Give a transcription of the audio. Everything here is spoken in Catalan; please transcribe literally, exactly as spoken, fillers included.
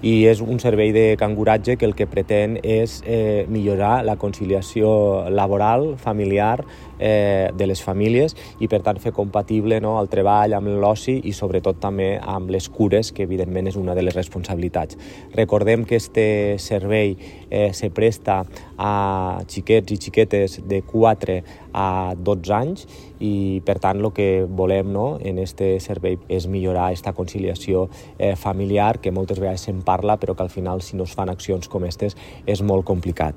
I és un servei de canguratge que el que pretén és eh, millorar la conciliació laboral, familiar, eh, de les famílies i per tant fer compatible, no, el treball amb l'oci i sobretot també amb les cures, que evidentment és una de les responsabilitats. Recordem que este servei eh, se presta a xiquets i xiquetes de quatre a dotze anys i per tant el que volem, no, en este servei és millorar aquesta conciliació eh, familiar, que moltes vegades se'n parla però que al final si no es fan accions com aquestes és molt complicat.